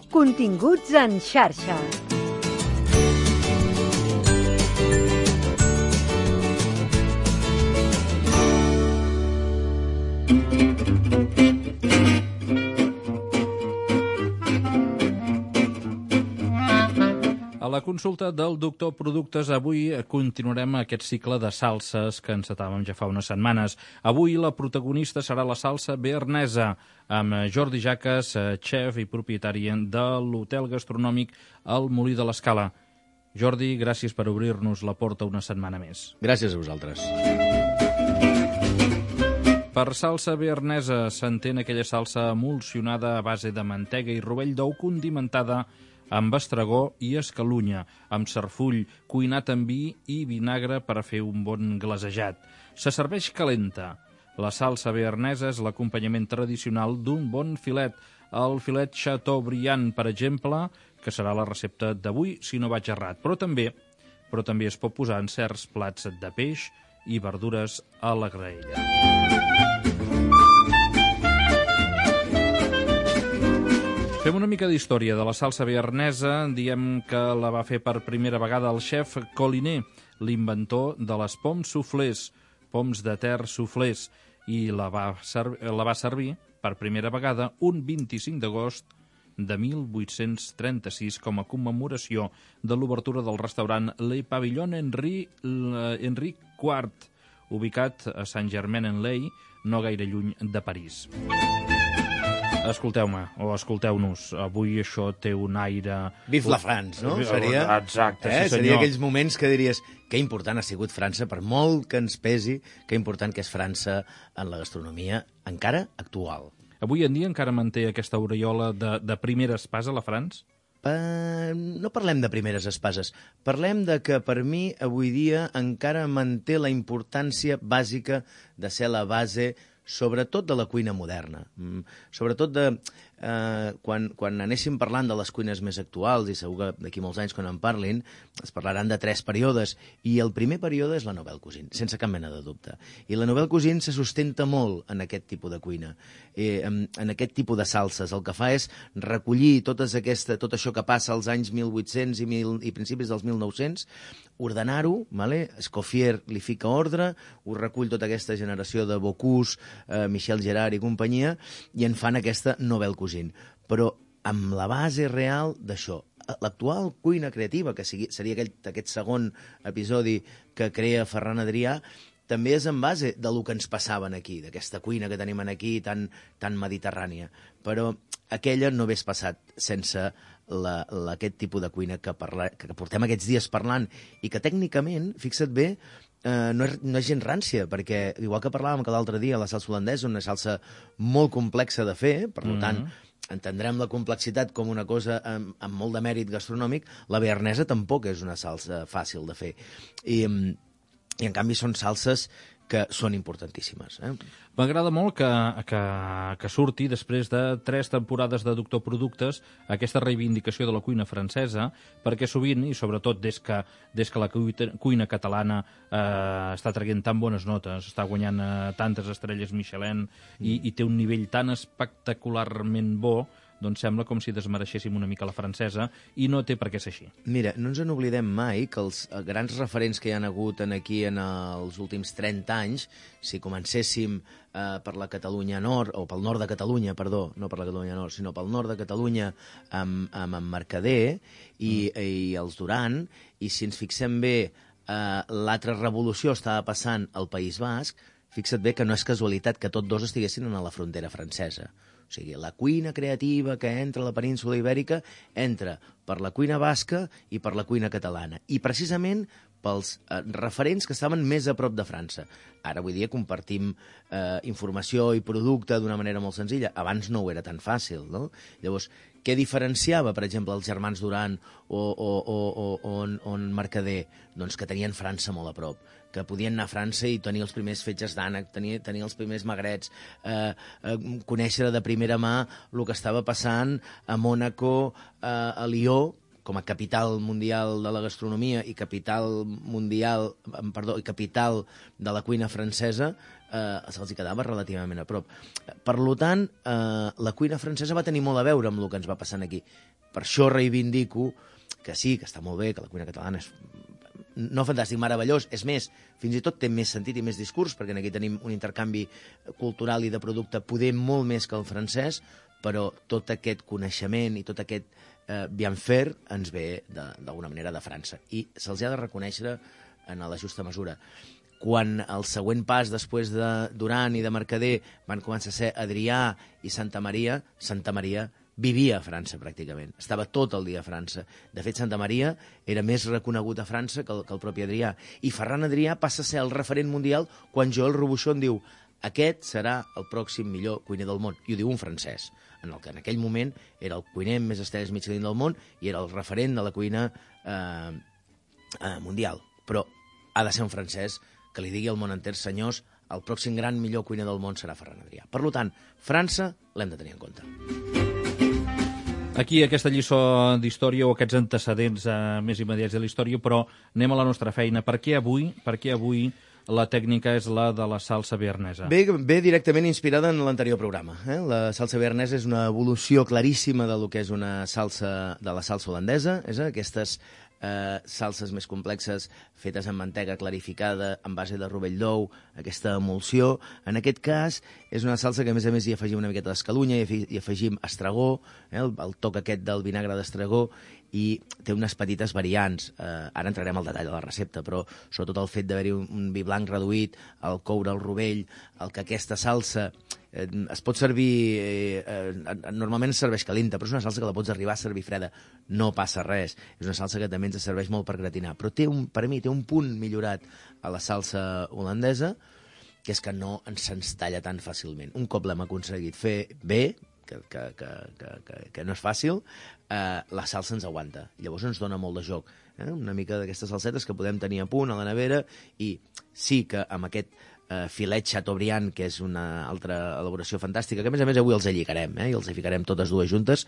Continguts en xarxa. A la consulta del doctor Productes, avui continuarem aquest cicle de salses que encetàvem ja fa unes setmanes. Avui la protagonista serà la salsa bearnesa, amb Jordi Jaques, xef i propietari de l'hotel gastronòmic El Molí de l'Escala. Jordi, gràcies per obrir-nos la porta una setmana més. Gràcies a vosaltres. Per salsa bearnesa s'entén aquella salsa emulsionada a base de mantega i rovell d'ou condimentada amb estragó i escalunya, amb sarfull, cuinat amb vi i vinagre per a fer un bon glasejat. Se serveix calenta. La salsa bearnesa és l'acompanyament tradicional d'un bon filet. El filet Chateaubriand, per exemple, que serà la recepta d'avui, si no vaig errat. Però també es pot posar en certs plats de peix i verdures a la graella. Fem una mica d'història de la salsa bearnesa. Diem que la va fer per primera vegada el xef Collinet, l'inventor de les poms soufflés, poms de terra soufflés, i la va servir per primera vegada un 25 d'agost de 1836 com a commemoració de l'obertura del restaurant Le Pavillon Henri IV, ubicat a Saint-Germain-en-Laye, no gaire lluny de París. Escolteu-me, o escolteu-nos, avui això té un aire... Vive la France, no? Seria... Exacte, sí senyor. Seria aquells moments que diries que important ha sigut França, per molt que ens pesi, que important que és França en la gastronomia encara actual. Avui en dia encara manté aquesta aureola de primera espasa la France? No parlem de primeres espases. Parlem de que, per mi, avui dia encara manté la importància bàsica de ser la base, sobretot de la cuina moderna. Sobretot de... Quan anéssim parlant de les cuines més actuals, i segur que d'aquí molts anys quan en parlin, es parlaran de 3 períodes, i el primer període és la Nouvelle Cuisine, sense cap mena de dubte. I la Nouvelle Cuisine se sustenta molt en aquest tipus de cuina, en aquest tipus de salses. El que fa és recollir tot això que passa als anys 1800 i principis dels 1900, ordenar-ho, Escoffier li fica ordre, ho recull tota aquesta generació de Bocuse, Michel Gerard i companyia, i en fan aquesta Nouvelle Cuisine. Però amb la base real d'això. L'actual cuina creativa, que seria aquest segon episodi que crea Ferran Adrià, també és en base del que ens passaven aquí, d'aquesta cuina que tenim aquí tan mediterrània. Però aquella no hagués passat sense aquest tipus de cuina que portem aquests dies parlant i que tècnicament, fixa't bé, no és gens rància, perquè igual que parlàvem que l'altre dia la salsa holandesa és una salsa molt complexa de fer, per tant entendrem la complexitat com una cosa amb molt de mèrit gastronòmic. La bearnesa tampoc és una salsa fàcil de fer i en canvi són salses que són importantíssimes. M'agrada molt que surti, després de 3 temporades de Doctor Productes, aquesta reivindicació de la cuina francesa, perquè sovint, i sobretot des que la cuina catalana està traient tan bones notes, està guanyant tantes estrelles Michelin i té un nivell tan espectacularment bo, doncs sembla com si desmereixéssim una mica la francesa, i no té per què ser així. Mira, no ens n'oblidem mai que els grans referents que hi han hagut aquí en els últims 30 anys, si comencéssim per la Catalunya Nord, o pel nord de Catalunya, perdó, no per la Catalunya Nord, sinó pel nord de Catalunya, amb en Mercader i els Duran, i si ens fixem bé, l'altra revolució estava passant al País Basc, fixa't bé que no és casualitat que tots dos estiguessin a la frontera francesa. O sigui, la cuina creativa que entra a la península ibèrica entra per la cuina basca i per la cuina catalana. I precisament pels referents que estaven més a prop de França. Ara, avui dia, compartim informació i producte d'una manera molt senzilla. Abans no ho era tan fàcil, no? Llavors, què diferenciava, per exemple, els germans Duran o Mercader? Doncs que tenien França molt a prop, que podien anar a França i tenir els primers fetges d'ànec, tenir els primers magrets, conèixer de primera mà el que estava passant a Mònaco, a Lió, com a capital mundial de la gastronomia i capital de la cuina francesa, se'ls quedava relativament a prop. Per tant, la cuina francesa va tenir molt a veure amb el que ens va passant aquí. Per això reivindico que sí, que està molt bé, que la cuina catalana és no fantàstic, meravellós. És més, fins i tot té més sentit i més discurs, perquè aquí tenim un intercanvi cultural i de producte poder molt més que el francès, però tot aquest coneixement i tot aquest bien fer ens ve d'alguna manera de França. I se'ls ha de reconèixer en la justa mesura. Quan el següent pas, després de Duran i de Mercader, van començar a ser Adrià i Santa Maria vivia a França, pràcticament. Estava tot el dia a França. De fet, Santa Maria era més reconegut a França que el propi Adrià. I Ferran Adrià passa a ser el referent mundial quan Joël Robuchon diu aquest serà el pròxim millor cuiner del món. I ho diu un francès, en el que en aquell moment era el cuiner amb més estrelles Michelin del món i era el referent de la cuina mundial. Però ha de ser un francès que li digui al món enter, senyors, el pròxim gran millor cuiner del món serà Ferran Adrià. Per tant, França l'hem de tenir en compte. Aquí aquesta lliçó d'història o aquests antecedents més immediats de la història, però anem a la nostra feina. Per què avui la tècnica és la de la salsa bearnesa? Ve directament inspirada en l'anterior programa. La salsa bearnesa és una evolució claríssima de lo que és una salsa de la salsa holandesa, aquestes salses més complexes fetes amb mantega clarificada, en base de rovell d'ou, aquesta emulsió. En aquest cas, és una salsa que a més hi afegim una miqueta d'escalunya, hi afegim estragó, el toc aquest del vinagre d'estragó, i té unes petites variants. Ara entrarem al detall de la recepta, però sobretot el fet d'haver-hi un vi blanc reduït, el coure el rovell, el que aquesta salsa es pot servir, normalment es serveix calenta, però és una salsa que la pots arribar a servir freda, no passa res. És una salsa que també ens serveix molt per gratinar, però per mi té un punt millorat a la salsa holandesa, que és que no se'ns talla tan fàcilment. Un cop l'hem aconseguit fer bé, que no és fàcil, la salsa ens aguanta. Llavors ens dona molt de joc. Una mica d'aquestes salsetes que podem tenir a punt a la nevera, i sí que amb aquest filet Chateaubriand, que és una altra elaboració fantàstica, que a més avui els alligarem, i els hi ficarem totes dues juntes,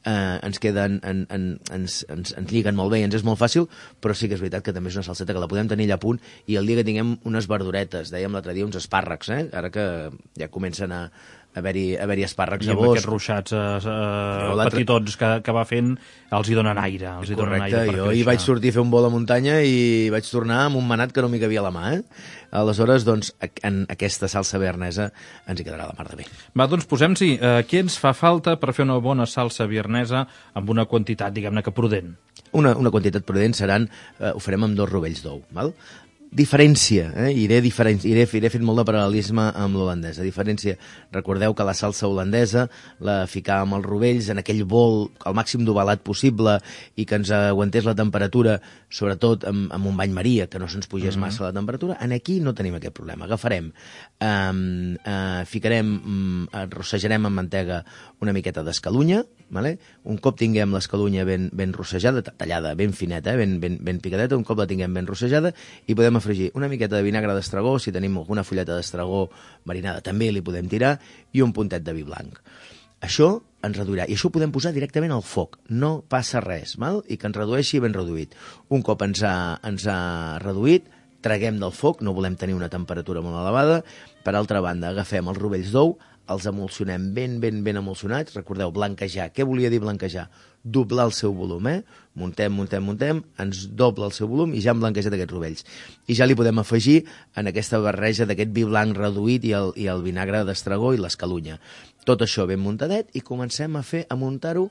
ens queden, ens lliguen molt bé i ens és molt fàcil, però sí que és veritat que també és una salseta que la podem tenir allà a punt, i el dia que tinguem unes verduretes, dèiem l'altre dia uns espàrrecs, ara que ja comencen a haver-hi espàrrecs a bosc. I amb aquests ruixats petitons que va fent, els hi donen aire. Correcte, jo hi vaig sortir a fer un vol a muntanya i vaig tornar amb un manat que no m'hi cabia a la mà. Aleshores, doncs, en aquesta salsa bearnesa ens hi quedarà la mar de bé. Va, doncs posem-s'hi. Què ens fa falta per fer una bona salsa bearnesa amb una quantitat, diguem-ne, que prudent? Una quantitat prudent seran, ho farem amb 2 rovells d'ou, val? Diferència, iré fent molt de paral·lelisme amb l'holandesa. Diferència, recordeu que la salsa holandesa la ficàvem als rovells en aquell bol al màxim d'ovalat possible i que ens aguantés la temperatura, sobretot amb un bany maria, que no se'ns pugés massa la temperatura. En aquí no tenim aquest problema. Agafarem, rossejarem amb mantega una miqueta d'escalunya, un cop tinguem l'escalunya ben rossejada, tallada ben fineta, ben picadeta, un cop la tinguem ben rossejada, i podem afegir una miqueta de vinagre d'estragó, si tenim alguna fulleta d'estragó marinada també li podem tirar, i un puntet de vi blanc. Això ens reduirà, i això ho podem posar directament al foc, no passa res, i que ens redueixi ben reduït. Un cop ens ha reduït, traguem del foc, no volem tenir una temperatura molt elevada. Per altra banda, agafem els rovells d'ou, els emulsionem ben emulsionats. Recordeu, blanquejar. Què volia dir blanquejar? Doblar el seu volum, Muntem, ens dobla el seu volum i ja hem blanquejat aquests rovells. I ja li podem afegir en aquesta barreja d'aquest vi blanc reduït i el vinagre d'estragó i l'escalunya. Tot això ben muntadet, i comencem a muntar-ho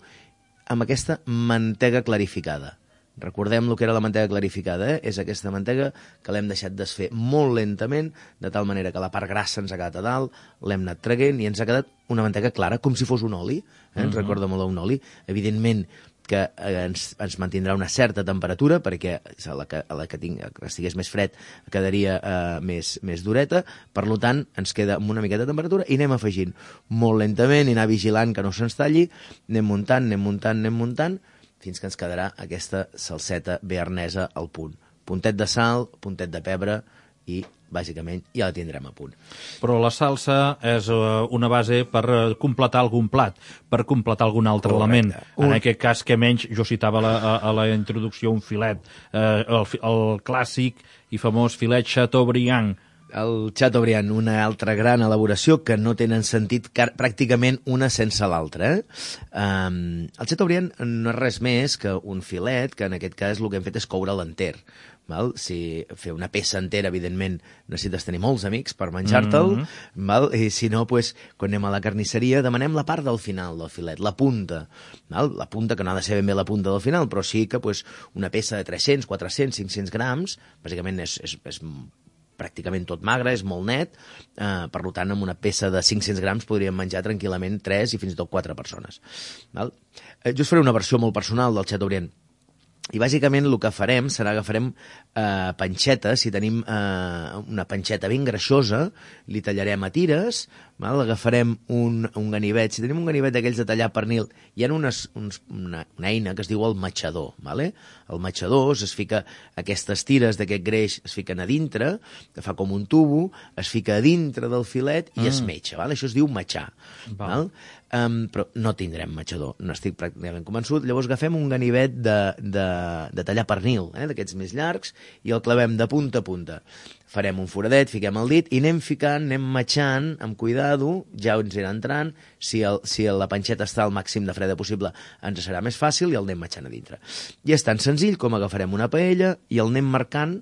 amb aquesta mantega clarificada. Recordem el que era la mantega clarificada, És aquesta mantega que l'hem deixat desfer molt lentament, de tal manera que la part grassa ens ha quedat a dalt, l'hem anat traguent i ens ha quedat una mantega clara, com si fos un oli, ens recorda molt a un oli. Evidentment que ens mantindrà una certa temperatura, perquè a la que estigués més fred quedaria més dureta. Per tant, ens queda amb una miqueta de temperatura i anem afegint molt lentament i anar vigilant que no se'ns talli, anem muntant, fins que ens quedarà aquesta salseta bearnesa al punt. Puntet de sal, puntet de pebre i bàsicament ja la tindrem a punt. Però la salsa és una base per completar algun plat, per completar algun altre element. En aquest cas, que menys, jo citava a la introducció un filet, el clàssic i famós filet Chateaubriand. El Chateaubriand, una altra gran elaboració que no tenen sentit pràcticament una sense l'altra. El Chateaubriand no és res més que un filet, que en aquest cas el que hem fet és coure'l enter. Val? Si fer una peça entera, evidentment, necessites tenir molts amics per menjar-te'l, i si no, quan anem a la carnisseria, demanem la part del final del filet, la punta. Val? La punta, que no ha de ser ben bé la punta del final, però sí que una peça de 300, 400, 500 grams, bàsicament és pràcticament tot magre, és molt net, per tant, amb una peça de 500 grams podríem menjar tranquil·lament 3 i fins i tot 4 persones. Val? Jo us faré una versió molt personal del Chateaubriand. I bàsicament el que farem serà agafarem panxetes, si tenim una panxeta ben greixosa, li tallarem a tires, agafarem un ganivet, si tenim un ganivet d'aquells de tallar pernil, hi ha una eina que es diu el matxador. El matxador es fica aquestes tires d'aquest greix, es fiquen a dintre, que fa com un tubo, es fica a dintre del filet i es metja. Això es diu matxar. Però no tindrem matxador, no estic pràcticament convençut. Llavors agafem un ganivet de tallar pernil, d'aquests més llargs, i el clavem de punta a punta. Farem un foradet, fiquem el dit i anem ficant, anem matxant amb cuidado, ja ens irà entrant. Si la panxeta està al màxim de freda possible, ens serà més fàcil i el anem matxant a dintre. I és tan senzill com agafarem una paella i el anem marcant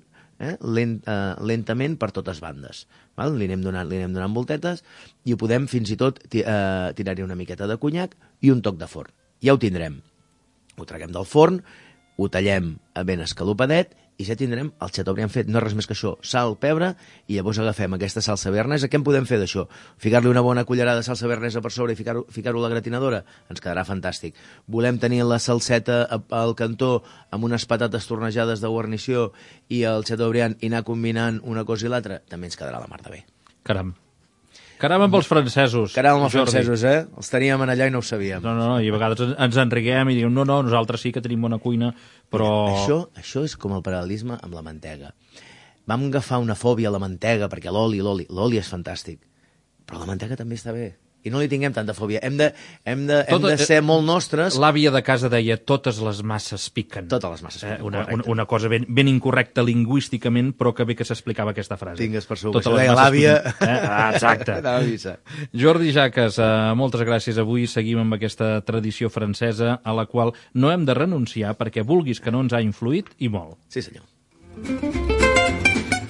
lentament per totes bandes. Li anem donant voltetes i ho podem fins i tot tirar-hi una miqueta de conyac i un toc de forn. Ja ho tindrem. Ho traguem del forn, ho tallem ben escalopadet i ja tindrem el Chateaubriand fet. No és res més que això, sal, pebre, i llavors agafem aquesta salsa bearnesa. Què en podem fer d'això? Ficar-li una bona cullerada de salsa bearnesa per sobre i ficar-ho a la gratinadora? Ens quedarà fantàstic. Volem tenir la salseta al cantó amb unes patates tornejades de guarnició i el Chateaubriand i anar combinant una cosa i l'altra? També ens quedarà la mar de bé. Caram. Caram amb els francesos. Caram amb els francesos, Els teníem allà i no ho sabíem. No, i a vegades ens enriguem i diem, no, nosaltres sí que tenim bona cuina, però... Això és com el paral·lelisme amb la mantega. Vam agafar una fòbia a la mantega, perquè l'oli és fantàstic, però la mantega també està bé. I no li tinguem tanta fòbia. Hem de ser molt nostres. L'àvia de casa deia, totes les masses piquen. Totes les masses piquen. Una cosa ben incorrecta lingüísticament, però que bé que s'explicava aquesta frase. Tingues per segur, que això deia l'àvia. Exacte. Jordi Jaques, moltes gràcies. Avui seguim amb aquesta tradició francesa a la qual no hem de renunciar perquè vulguis que no ens ha influït i molt. Sí, senyor.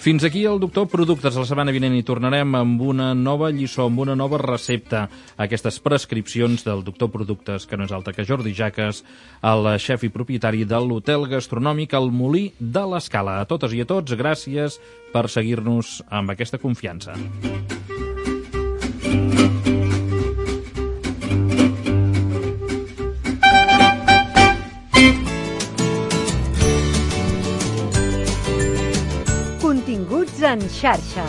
Fins aquí el Doctor Productes. La setmana vinent hi tornarem amb una nova lliçó, amb una nova recepta. Aquestes prescripcions del Doctor Productes, que no és altre que Jordi Jaques, el xef i propietari de l'hotel gastronòmic El Molí de l'Escala. A totes i a tots, gràcies per seguir-nos amb aquesta confiança. Continguts en xarxa.